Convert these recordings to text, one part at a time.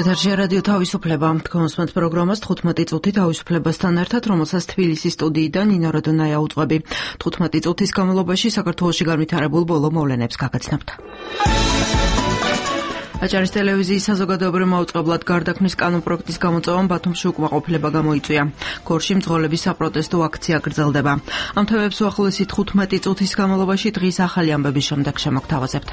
ეთერში რადიო თავისუფლება. კონსპონდენტ პროგრამას 15 წუთი თავისუფლებასთან ერთად, რომელსაც თბილისის სტუდიიდან ნინო როდონაია უძღვები. 15 წუთის განმავლობაში საქართველოში განვითარებულ ბოლო მოვლენებს გაგაცნობთ. აჭარის ტელევიზიის საზოგადოებრივ მაუწყებლად გარდაქმნის კანონპროექტის გამოწვევამ ბათუმში უკმაყოფილება გამოიწვია. გორში მძღოლების საპროტესტო აქცია გრძელდება. ამ თემებს უახლოესი 15 წუთის განმავლობაში დღის ახალი ამბების შემდეგ შემოგთავაზებთ.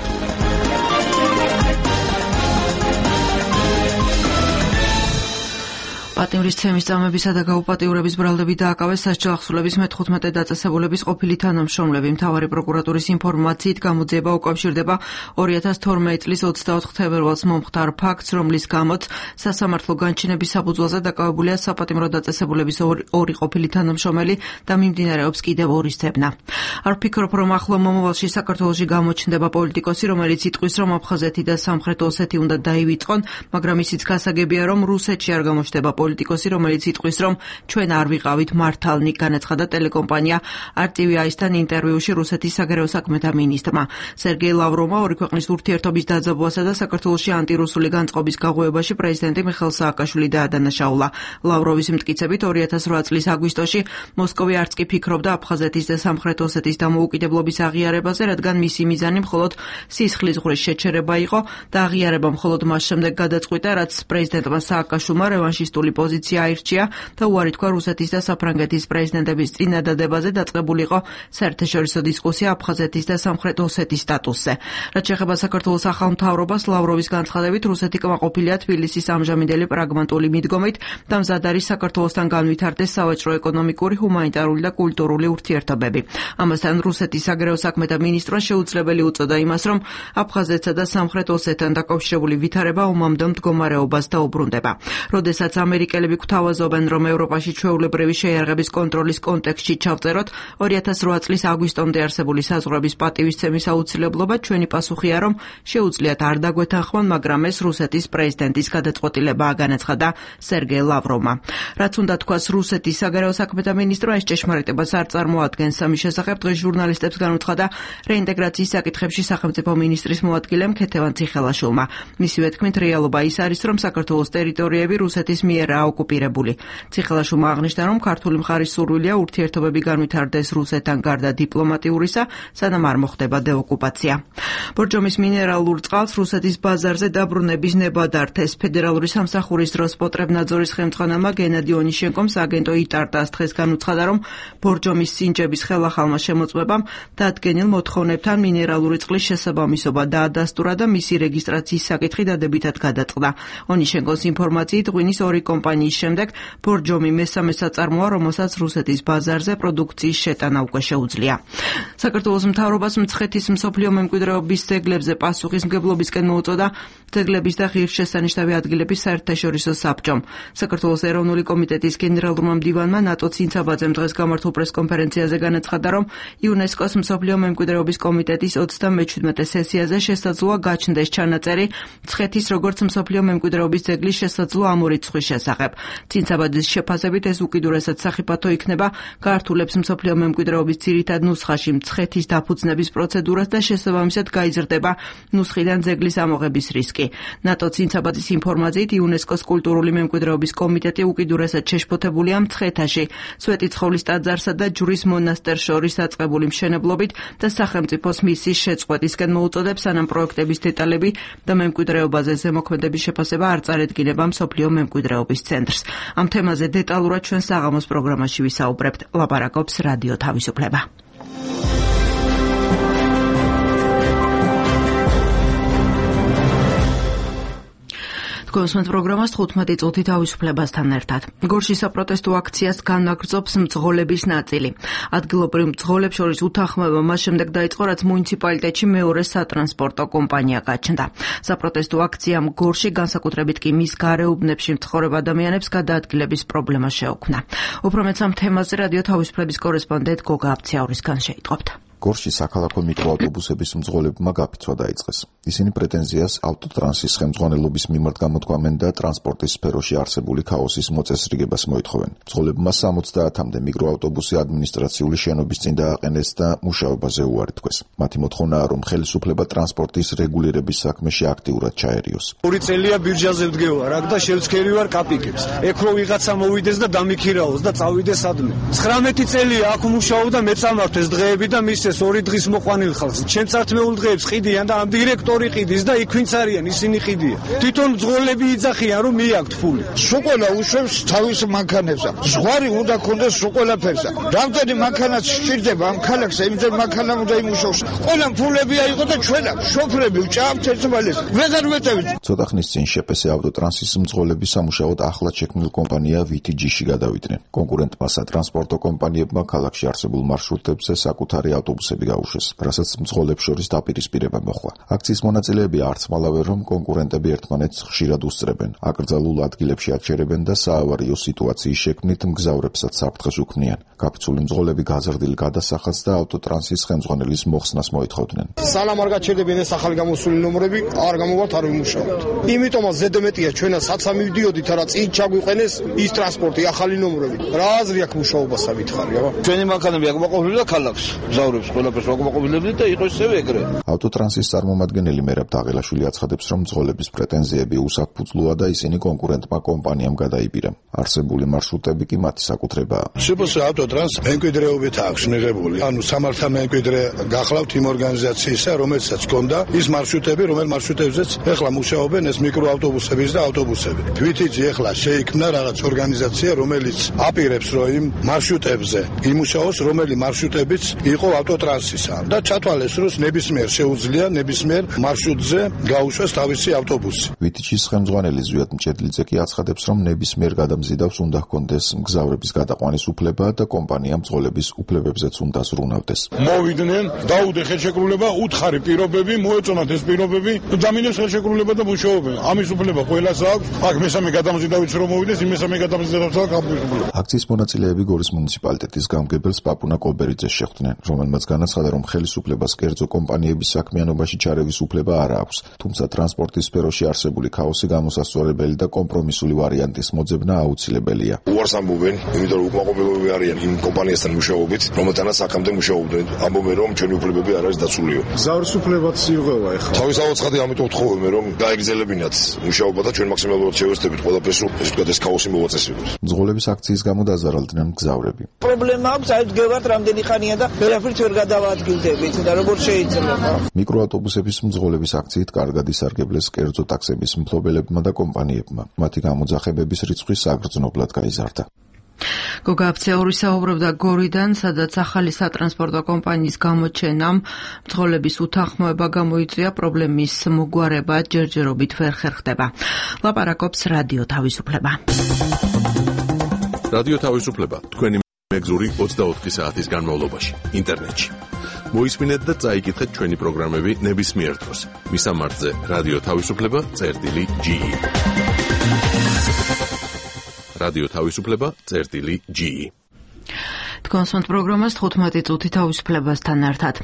პატიმრისცემის წამებისა და გაუპატიურების ბრალდებით დააკავეს სასჯელ ახსულების მე-15 დაწესებულების ყოფილი თანამშრომლები. მთავარი პროკურატურის ინფორმაციით გამოძიება უკავშირდება 2012 წლის 24 თებერვალს მომხდარ ფაქტს, რომლის გამოც სასამართლო განჩინების საფუძველზე დაკავებულია საპატიმრო დაწესებულების ორი ყოფილი თანამშრომელი და მიმდინარეობს კიდევ ორი ძებნა. არ ვფიქრობ, რომ ახლო მომავალში საქართველოში გამოჩნდება პოლიტიკოსი, რომელიც იტყვის, რომ აფხაზეთი და სამხრეთ ოსეთი უნდა დაივიწყონ, მაგრამ ისიც გასაგებია, რომ რუსეთში არ გამოჩნდება პოლიტიკოსი, რომელიც იტყვის, რომ ჩვენ არ ვიყავით მართალნი, განაცხადა ტელეკომპანია RTVI-სთან ინტერვიუში რუსეთის საგარეო საქმეთა მინისტრმა. სერგეი ლავროვმა ორი ქვეყნის ურთიერთობის დაძაბვასა და საქართველოში ანტირუსული განწყობის გაღვივებაში პრეზიდენტი მიხეილ სააკაშვილი დაადანაშაულა. ლავროვის მტკიცებით 2008 წლის აგვისტოში მოსკოვი არც კი ფიქრობდა აფხაზეთის და სამხრეთ ოსეთის დამოუკიდებლობის აღიარებაზე, რადგან მისი მიზანი მხოლოდ სისხლის ზღვრის შეჩერება იყო და აღიარება მხოლოდ მას შემდეგ გადაწყვიტა, რაც პრეზიდენტმა სააკაშვილმა რევანშისტული პოზიცია აირჩია და უარი თქვა რუსეთის და საფრანგეთის პრეზიდენტების წინადადებაზე დაწყებული იყო საერთაშორისო დისკუსია აფხაზეთის და სამხრეთ ოსეთის სტატუსზე. რაც შეეხება საქართველოს ახალ მთავრობას, ლავროვის განცხადებით, რუსეთი კმაყოფილია თბილისის ამჟამინდელი პრაგმატული მიდგომით და მზად არის საქართველოსთან განვითარდეს სავაჭრო, ეკონომიკური, ჰუმანიტარული და კულტურული ურთიერთობები. ამასთან რუსეთის საგარეო საქმეთა მინისტრმა შეუძლებელი უწოდა იმას, რომ აფხაზეთსა და სამხრეთ ოსეთთან დაკავშირებული ვითარება ომამდე მდგომარეობას დაუბრუნდება. როდესაც ამერიკელები გვთავაზობენ, რომ ევროპაში ჩვეულებრივი შეიარაღების კონტროლის კონტექსტში ჩავწეროთ 2008 წლის აგვისტომდე არსებული საზღვრების პატივისცემის აუცილებლობა, ჩვენი პასუხია, რომ შეუძლიათ არ დაგვეთანხმონ, მაგრამ ეს რუსეთის პრეზიდენტის გადაწყვეტილებაა, განაცხადა სერგეი ლავროვმა. რაც უნდა თქვას რუსეთის საგარეო საქმეთა მინისტრმა, ეს ჭეშმარიტებას არ წარმოადგენს. ამის შესახებ დღეს ჟურნალისტებს განუცხადა რეინტეგრაციის საკითხებში სახელმწიფო მინისტრის მოადგილემ ქეთევან ციხელაშვილმა. მისივე თქმით, რეალობა ის არის, რომ საქართველოს ტერიტორიები რუსეთის მიერაა ოკუპირებული. ციხელაშვილმა აღნიშნა, რომ ქართული მხარის სურვილია ურთიერთობები განვითარდეს რუსეთთან გარდა დიპლომატიურისა, სანამ არ მოხდება დეოკუპაცია. ბორჯომის მინერალურ წყალს რუსეთის ბაზარზე დაბრუნების ნება დართეს. ფედერალური სამსახურის დროს პოტრებნაძორის ხელმძღვანელმა გენადი ონიშენკომ სააგენტო იტარტას დღეს განუცხადა, რომ ბორჯომის სინჯების ხელახალმა შემოწმებამ დადგენილ მოთხოვნებთან მინერალური წყლის შესაბამისობა დაადასტურა და მისი რეგისტრაციის საკითხი დადებითად გადაწყდა. ონიშენკოს ინფორმაციით ღვინის ორი კომპანიის შემდეგ ბორჯომი მესამე საწარმოა, რომელსაც რუსეთის ბაზარზე პროდუქციის შეტანა უკვე შეუძლია. საქართველოს მთავრობას მცხეთის მსოფლიო მემკვიდრეობის ძეგლებზე პასუხისმგებლობისკენ მოუწოდა ძეგლების და ღირსშესანიშნავი ადგილების საერთაშორისო საბჭომ. საქართველოს ეროვნული კომიტეტის გენერალურმა მდივანმა ნატო ცინცაბაძემ დღეს გამართულ პრესკონფერენციაზე განაცხადა, რომ იუნესკოს მსოფლიო მემკვიდრეობის კომიტეტის 37 სესიაზე შესაძლოა გაჩნდეს ჩანაწერი მცხეთის როგორც მსოფლიო მემკვიდრეობის ძეგლის შესაძლო ამ ორი ცხვრის შესახებ. ცინცაბაძის შეფასებით ეს უკიდურესად სახიფათო იქნება, გაართულებს მსოფლიო მემკვიდრეობის ძირითად ნუსხაში მცხეთის დაფუძნების პროცედურას და შესაბამისად გაიზრდება ნუსხიდან ძეგლის ამოღების რისკი. ნატო ცინცაბაძის ინფორმაციით იუნესკოს კულტურული მემკვიდრეობის კომიტეტი უკიდურესად შეშფოთებულია მცხეთაში, სვეტიცხოვლის ტაძარსა და ჯვრის მონასტერს შორის დაწყებული მშენებლობით და სახელმწიფოს მისის შეწყვეტისკენ მოუწოდებს, სანამ პროექტების დეტალები და მემკვიდრეობაზე ზემოქმედების შეფასება არ წარედგინება მსოფლიო მემკვიდრეობის ცენტრს. ამ თემაზე დეტალურად ჩვენ საღამოს პროგრამაში ვისაუბრებთ. ლაპარაკობს რადიო თავისუფლება. კონსპონდენტ პროგრამას 15 წუთი თავისუფლებასთან ერთად. გორში საპროტესტო აქციას განაგრძობს მძღოლების ნაწილი. ადგილობრივ მძღოლებს შორის უთანხმოება მას შემდეგ დაიწყო, რაც მუნიციპალიტეტში მეორე სატრანსპორტო კომპანია გაჩნდა. საპროტესტო აქციამ გორში, განსაკუთრებით კი მის გარეუბნებში მცხოვრებ ადამიანებს გადაადგილების პრობლემა შეუქმნა. უფრო მეტ ამ თემაზე რადიო თავისუფლების კორესპონდენტ გოგა აბციაურისგან შეიტყობთ. გორში საქალაქო მიკროავტობუსების მძღოლებმა გაფიცვა დაიწყეს. ისინი პრეტენზიას ავტოტრანსის ხელმძღვანელობის მიმართ გამოთქვამენ და ტრანსპორტის სფეროში არსებული ქაოსის მოწესრიგებას მოითხოვენ. მძღოლებმა 70-მდე მიკროავტობუსი ადმინისტრაციული შენობის წინ დააყენეს და მუშაობაზე უარი თქვეს. მათი მოთხოვნაა, რომ ხელისუფლება ტრანსპორტის რეგულირების საქმეში აქტიურად ჩაერიოს. 2 წელია ბირჟაზე ვდგევარ, აქ და შევცქერი ვარ კაპიკებს. ეკ რო ვიღაცა მოვიდეს და დამიქირაოს და წავიდეს ადმე. 19 წელია აქ მუშაობ და მეწამართვეს დღეები და მისცეს 2 დღის მოყვანილ ხალხს. ჩემ წართმეულ დღეებს ყიდიან და ამ დირექტორი ყიდის და იქ ვინც არიან, ისინი ყიდიან. თვითონ მძღოლები იძახიან, რომ მიაქვთ ფული. სულ უშვებს თავის მანქანებს. ზღვარი უნდა ქონდეს სულ ყველაფერს. რამდენი მანქანაც სჭირდება ამ ქალაქს, იმდენ მანქანა უნდა იმუშაოს. ყველა ფულები აიღო და ჩვენ შოფრები ვჭამთ ერთმანეთს. ვეღარ ვეტევით. ცოტა ხნის წინ შეპესე ავტოტრანსის მძღოლები სამუშაოდ ახლად შექმნილ კომპანია VTG-ში გადავიდნენ. კონკურენტმა სატრანსპორტო კომპანიებმა ქალაქში არსებულ მარშრუტებზე საკუთარი ავტობუსები გაუშვეს, რასაც მძღოლებს შორის დაპირისპირება მოხდა. აქციის მონაწილეები არც მალავე, რომ კონკურენტები ერთმანეთს ხშირად უსწრებენ, აკრძალულ ადგილებში აჩერებენ და საავარიო სიტუაციის შექმნით მგზავრებსაც საფრთხეს უქმნიან. გაფიცული მძღოლები გაზრდილ გადასახადს და ავტოტრანსის ხელმძღვანელის მოხსნას მოითხოვდნენ. სალამ არ გაჩერდებიან ეს ახალი გამოსული ნომრები, არ გამოვართ, არ ვიმუშაობთ. იმიტომაც ზედმეტია ჩვენაც საცამ მივდიოდით, რა წინ ჩაგვიყენეს ის ტრანსპორტი, ახალი ნომრები. რა აზრი აქვს მუშაობას ამითხარი, აბა? ჩვენი მანქანები აქ მოყვებილი და ქალაქს მგზავრებს ყველაფერს მოყვებილები და იყო ისევე ეგრე. ავტოტრანსის წარმომადგენელი მერაბ დაღელაშვილი აცხადებს, რომ მძღოლების პრეტენზიები უსაფუძვლოა და ისინი კონკურენტმა კომპანიამ გადაიბირა. არსებული მარშრუტები კი მათი საკუთრებაა. შეფასე ავტოტრანს მემკვიდრეობით აქვს მიღებული. ანუ სამართა მემკვიდრე გახლავთ იმ ორგანიზაციისა, რომელსაც ჰქონდა ის მარშრუტები, რომელ მარშრუტებზეც ეხლა მუშაობენ ეს მიკროავტობუსები და ავტობუსები. VTG ეხლა შეიქმნა რაღაც ორგანიზაცია, რომელიც აპირებს, რომ იმ მარშრუტებზე იმუშაოს, რომელი მარშრუტებიც იყო ავტოტრანსისა და ჩათვალეს, რომ ნებისმიერ შეუძლია ნებისმიერ მარშრუტზე გაუშვეს თავისი ავტობუსი. VTG-ის ხელმძღვანელი ზვიად მჭედლიძე კი აცხადებს, რომ ნებისმიერ გადამზიდავს უნდა ჰქონდეს მგზავრების გადაყვანის უფლება და კომპანია მძღოლების უფლებებზეც უნდა ზრუნავდეს. მოვიდნენ, დაუდე ხელშეკრულება, უთხარი პირობები, მოეწონათ ეს პირობები, დამინეს ხელშეკრულება და მუშაობენ. ამის უფლება ყველას აქვს. აქ მესამე გადამზიდავიც რომ მოვიდეს, იმ მესამე გადამზიდავაც აქვს. აქციის მონაწილეები გორის მუნიციპალიტეტის გამგებელს პაპუნა კობერიძეს შეხვდნენ, რომელმაც განაცხადა, რომ ხელისუფლებას კერძო კომპანიების საქმიანობაში ჩარევის უფლება არ აქვს, თუმცა ტრანსპორტის სფეროში არსებული ქაოსი გამოსასწორებელი და კომპრომისული ვარიანტის მოძებნა აუცილებელია. უარს ამბობენ, იმიტომ რომ უკმაყოფილებები არიან იმ კომპანიასთან მუშაობით, რომელთანაც აქამდე მუშაობდნენ. ამბობენ, რომ ჩვენი უფლებები არ არის დაცულიო. მგზავრის უფლებაც იღება ეხლა. თავისთავად ცხადი, ამიტომ ვთხოვები, რომ გაეგრძელებინათ მუშაობა და ჩვენ მაქსიმალურად შევეცდებით ყველაფერს, რომ ეს ეს ქაოსი მოვაწესრიგოს. მძღოლების აქციის გამო დაზარალდნენ მგზავრები. პრობლემა აქვს, აი ვდგევართ რამდენი ხანია და ვერაფერს ვერ გადავადგილდებით და როგორ შეიძლება? მიკროავტობუსების მძღოლების აქციით კარგად ისარგებლეს კერძო ტაქსების მფლობელებმა და კომპანიებმა. მათი გამოძახებების რიცხვი საგრძნობლად გაიზარდა. გოგა აფცეური საუბრობდა გორიდან, სადაც ახალი სატრანსპორტო კომპანიის გამოჩენამ მძღოლების უთანხმოება გამოიწვია, პრობლემის მოგვარება ჯერჯერობით ვერ ხერხდება. ლაპარაკობს რადიო თავისუფლება. რადიო თავისუფლება თქვენი მეგზური 24 საათის განმავლობაში ინტერნეტში. მოისმინეთ და წაიკითხეთ ჩვენი პროგრამები ნებისმიერ დროს. მისამართზე რადიო თავისუფლება.ge. რადიო თავისუფლება.ge. თქვენს პროგრამას 15 წუთი თავისუფლებასთან ერთად.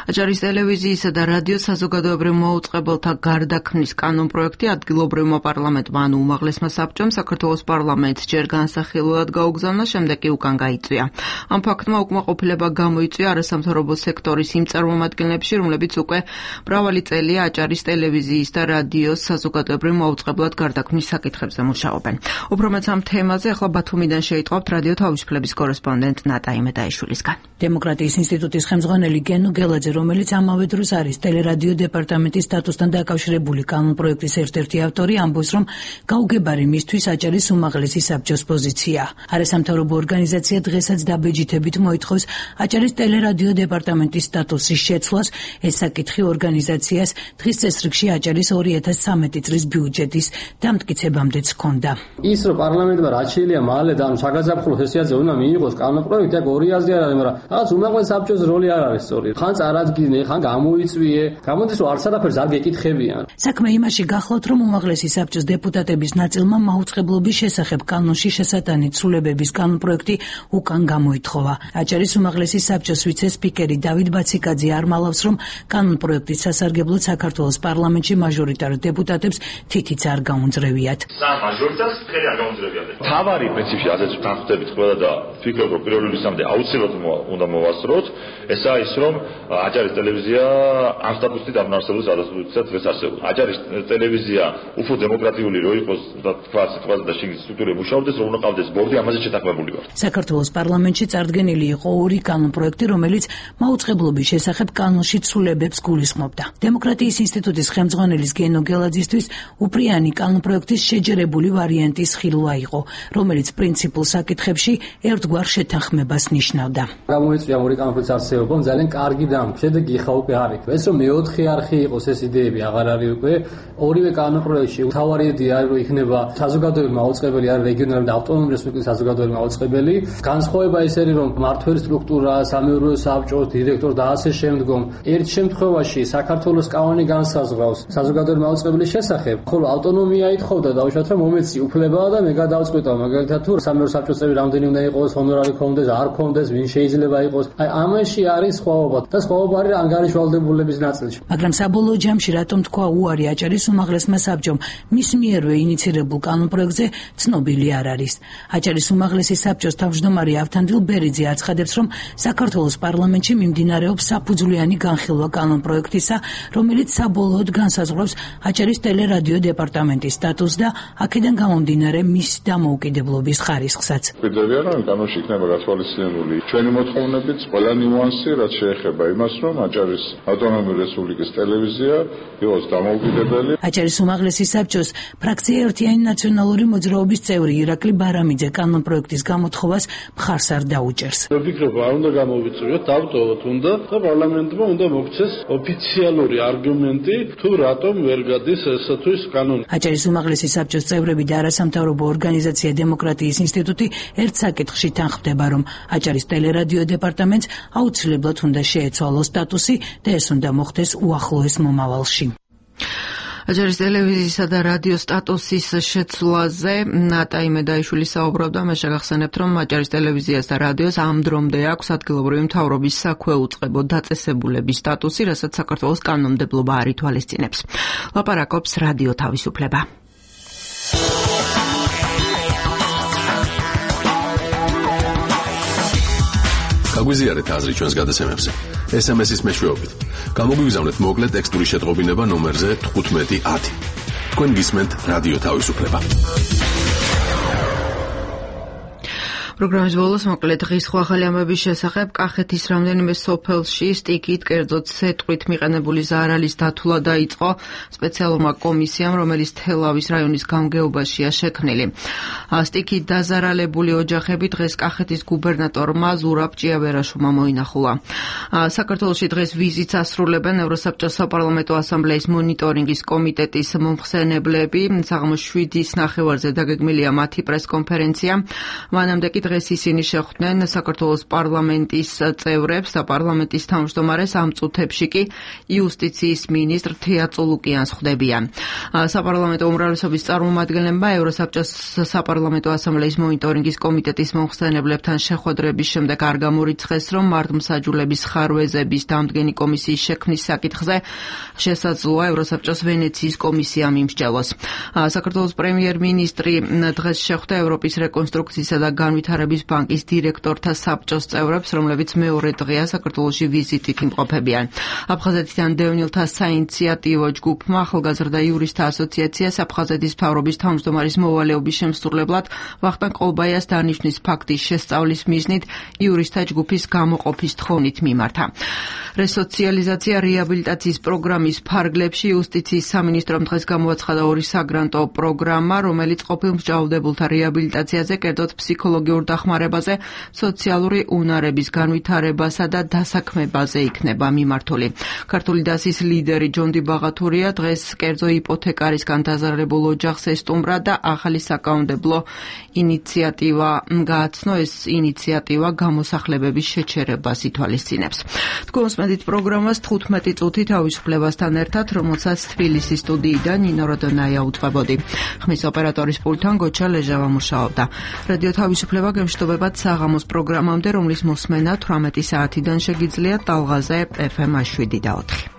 აჭარის ტელევიზიისა და რადიოს საზოგადოებრივ მოუწყებელთა გარდაქმნის კანონპროექტი ადგილობრივმა პარლამენტმა ანუ უმაღლესმა საბჭომ საქართველოს პარლამენტს ჯერ განსახილველად გაუგზავნა, შემდეგ კი უკან გაიწვია. ამ ფაქტმა უკმაყოფილება გამოიწვია არასამთავრობო სექტორის იმ წარმომადგენლებში, რომლებიც უკვე მრავალი წელია აჭარის ტელევიზიის და რადიოს საზოგადოებრივ მოუწყებლად გარდაქმნის საკითხებზე მუშაობენ. უფრო მეც ამ თემაზე ახლა ბათუმიდან შეიტყობთ რადიო თავისუფლების კორესპონდენტ ნატა იმედაიშვილისგან. დემოკრატიის ინსტიტუტის ხელმძღვანელი გენო გელაძე, რომელიც ამავე დროს არის ტელერადიო დეპარტამენტის სტატუსთან დაკავშირებული კანონპროექტის ერთ-ერთი ავტორი, ამბობს, რომ გაუგებარი მისთვის აჭარის უმაღლესი საბჭოს პოზიცია. არასამთავრობო ორგანიზაცია დღესაც დაბეჯითებით მოითხოვს აჭარის ტელერადიო დეპარტამენტის სტატუსის შეცვლას. ეს საკითხი ორგანიზაციას დღის წესრიგში აჭარის 2013 წლის ბიუჯეტის დამტკიცებამდეც ჰქონდა. ის რომ პარლამენტმა რაც შეიძლება მალე და შეგაზაფხულოს სესიაზე უნდა მიიღოს კანონპროექტი, აქ ორი აზრი არ არის, მაგრამ რაღაც უმაღლეს საბჭოს როლი არ არის სწორი. ხან წარადგინე, ხან გამოიწვიე, გამოდის რომ არც არაფერს არ გეკითხებიან. საქმე იმაში გახლავთ, რომ უმაღლესი საბჭოს დეპუტატების ნაწილმა მაუწყებლობის შესახებ კანონში შესატანი ცვლილებების კანონპროექტი უკან გამოითხოვა. აჭარის უმაღლესი საბჭოს ვიცე-სპიკერი დავით ბაციკაძე არ მალავს, რომ კანონპროექტის სასარგებლოდ საქართველოს პარლამენტში მაჟორიტარ დეპუტატებს თითიც არ გაუნձრევიათ. მაჟორიტარს ხელი არ გაუნձრევიათ. თავარი პრინციპში ასეც თანხმდებით ყველა და ვფიქრობ, რომ პირველ რიგში აუცილებლად უნდა მოვასწროთ, ესაა ის, რომ აჭარის ტელევიზია ამ სტატუსით აღნარსებულ სადასტურებითაც დღეს არსებობს. აჭარის ტელევიზია უფრო დემოკრატიული რო იყოს და თქვა სიტყვაზე და შიგნით სტრუქტურები მუშაობდეს, რომ უნდა ყავდეს ბორდი, ამაზე შეთანხმებული ვარ. საქართველოს პარლამენტში წარდგენილი იყო ორი კანონპროექტი, რომელიც მაუწყებლობის შესახებ კანონში ცვლილებებს გულისხმობდა. დემოკრატიის ინსტიტუტის ხელმძღვანელის გენო გელაძისთვის უპრიანი კანონპროექტის შეჯერებული ვარიანტის ხილვა იყო, რომელიც პრინციპულ საკითხებში ერთგვარ შეთანხმებას ნიშნავდა. გამოიწვია ორი კანონპროექტის არსებობამ ძალიან კარგი შედეგი ხა უკვე არ იქ. ეს რომ მეოთხე არხი იყოს ეს იდეები აღარ არის უკვე. ორივე კანონპროექტში თავარი იდეა არის, რომ იქნება საზოგადოებრივი მაუწყებელი არის რეგიონალური და ავტონომიური რესპუბლიკის საზოგადოებრივი მაუწყებელი. განსხვავება ის არის, რომ მმართველი სტრუქტურა, სამეურვეო საბჭო, დირექტორი და ასე შემდგომ. ერთ შემთხვევაში საქართველოს კანონი განსაზღვრავს საზოგადოებრივი მაუწყებლის შესახებ, ხოლო ავტონომია ითხოვდა დაუშვათ, რომ მომეცი უფლება და მე გადავწყვიტავ, მაგალითად თუ სამეურვეო საბჭოს წევრი რამდენი უნდა იყოს, ჰონორარი ქონდეს, არ ქონდეს, ვინ შეიძლება იყოს. აი ამაში არის სხვაობა და სხვაობა არის ანგარიშვალდებულების ნაწილში. მაგრამ საბოლოო ჯამში რატომ თქვა უარი აჭარის უმაღლესმა საბჭომ მის მიერვე ინიცირებულ კანონპროექტზე ცნობილი არ არის. აჭარის უმაღლესი საბჭოს თავმჯდომარე ავთანდილ ბერიძე აცხადებს, რომ საქართველოს პარლამენტში მიმდინარეობს საფუძვლიანი განხილვა კანონპროექტისა, რომელიც საბოლოოდ განსაზღვრავს აჭარის ტელერადიო დეპარტამენტის სტატუსს და აქედან გამომდინარე მის დამოუკიდებლობის ხარისხსაც. ვიდრებია რომ კანონში იქნება გათვალისწინებული ჩვენი მოთხოვნებით ყველა ნიუანსი, რაც შეეხება იმას, რომ აჭარის ავტონომიური რესპუბლიკის ტელევიზია იყოს დამოუკიდებელი. აჭარის უმაღლესი საბჭოს ფრაქცია ერთიანი ნაციონალური მოძრაობის წევრი ირაკლი ბარამიძე კანონპროექტის გამოთხოვას მხარს არ დაუჭერს. ვფიქრობ, არ უნდა გამოვიწვიოთ, დავტოვოთ უნდა და პარლამენტმა უნდა მოქცეს ოფიციალური არგუმენტი, თუ რატომ ვერ გადის ესა თუ ის კანონი. აჭარის უმაღლესი საბჭოს წევრები და არასამთავრობო ორგანიზაცია დემოკრატიის ინსტიტუტი ერთ საკითხში თანხმდება, რომ აჭარის ტელერადიო დეპარტამენტს აუცილებლად უნდა შეეცვალოს სტატუსი და ეს უნდა მოხდეს უახლოეს მომავალში. აჭარის ტელევიზიისა და რადიოს სტატუსის შეცვლაზე ნატა იმედაიშვილი საუბრობდა. მე შეგახსენებთ, რომ აჭარის ტელევიზიას და რადიოს ამ დრომდე აქვს ადგილობრივი მთავრობის საქვეუწყებო დაწესებულების სტატუსი, რასაც საქართველოს კანონმდებლობა არ ითვალისწინებს. ლაპარაკობს რადიო თავისუფლება. გაგვიზიარეთ აზრი ჩვენს გადაცემებზე. SMS-ის მეშვეობით. გამოგვიგზავნეთ მოკლე ტექსტური შეტყობინება ნომერზე 1510. თქვენ გისმენთ რადიო თავისუფლება. პროგრამის ბოლოს მოკლე დღის ახალი ამბების შესახებ. კახეთის რამდენიმე სოფელში სტიქით, კერძოდ სეტყვით მიყენებული ზარალის დათვლა დაიწყო სპეციალურმა კომისიამ, რომელიც თელავის რაიონის გამგეობაშია შექმნილი. სტიქით დაზარალებული ოჯახები დღეს კახეთის გუბერნატორმა ზურაბ ჭიავერაშვილმა მოინახულა. საქართველოში დღეს ვიზიტს ასრულებენ ევროსაბჭოს საპარლამენტო ასამბლეის მონიტორინგის კომიტეტის მომხსენებლები. საღამოს 7-ის ნახევარზე დაგეგმილია მათი პრესკონფერენცია. მანამდე კი დღეს ისინი შეხვდნენ საქართველოს პარლამენტის წევრებს და პარლამენტის თავმჯდომარეს, ამ წუთებში კი იუსტიციის მინისტრ თეა წულუკიანს ხვდებიან. საპარლამენტო უმრავლესობის წარმომადგენლებმა ევროსაბჭოს საპარლამენტო ასამბლეის მონიტორინგის კომიტეტის მომხსენებლებთან შეხვედრების შემდეგ არ გამორიცხეს, რომ მართლმსაჯულების ხარვეზების დამდგენი კომისიის შექმნის საკითხზე შესაძლოა ევროსაბჭოს ვენეციის კომისიამ იმსჯელოს. საქართველოს პრემიერ-მინისტრი დღეს შეხვდა ევროპის რეკონსტრუქციისა და განვითარების ბანკის დირექტორთა საბჭოს წევრებს, რომლებიც მეორე დღეა საქართველოში ვიზიტით იმყოფებიან. აფხაზეთიდან დევნილთა საინიციატივო ჯგუფმა ახალგაზრდა იურისტთა ასოციაციას აფხაზეთის მთავრობის თავმჯდომარის მოვალეობის შემსრულებლად ვახტანგ ყოლბაიას დანიშვნის ფაქტის შესწავლის მიზნით იურისტთა ჯგუფის გამოყოფის თხოვნით მიმართა. რესოციალიზაცია რეაბილიტაციის პროგრამის ფარგლებში იუსტიციის სამინისტრომ დღეს გამოაცხადა ორი საგრანტო პროგრამა, რომელიც ყოფილ მსჯავრდებულთა რეაბილიტაციაზე, კერძოდ ფსიქოლოგიურ დახმარებაზე, სოციალური უნარების განვითარებასა და დასაქმებაზე იქნება მიმართული. ქართული დასის ლიდერი ჯონდი ბაღათურია დღეს კერძო იპოთეკარისგან დაზარალებულ ოჯახს ესტუმრა და ახალი საკანონმდებლო ინიციატივა გააცნო. ეს ინიციატივა გამოსახლებების შეჩერებას ითვალისწინებს. თქვენს მედით პროგრამას 15 წუთი თავისუფლებასთან ერთად, რომელსაც თბილისის სტუდიიდან ნინო როდონაია უწყებოდი. ხმის ოპერატორის პულტთან გოჩა ლეჟავა მუშაობდა. რადიო თავისუფლება გემშვიდობებათ საღამოს პროგრამამდე, რომლის მოსმენა 18 საათიდან შეგიძლიათ ტალღაზე FM 7 და 4.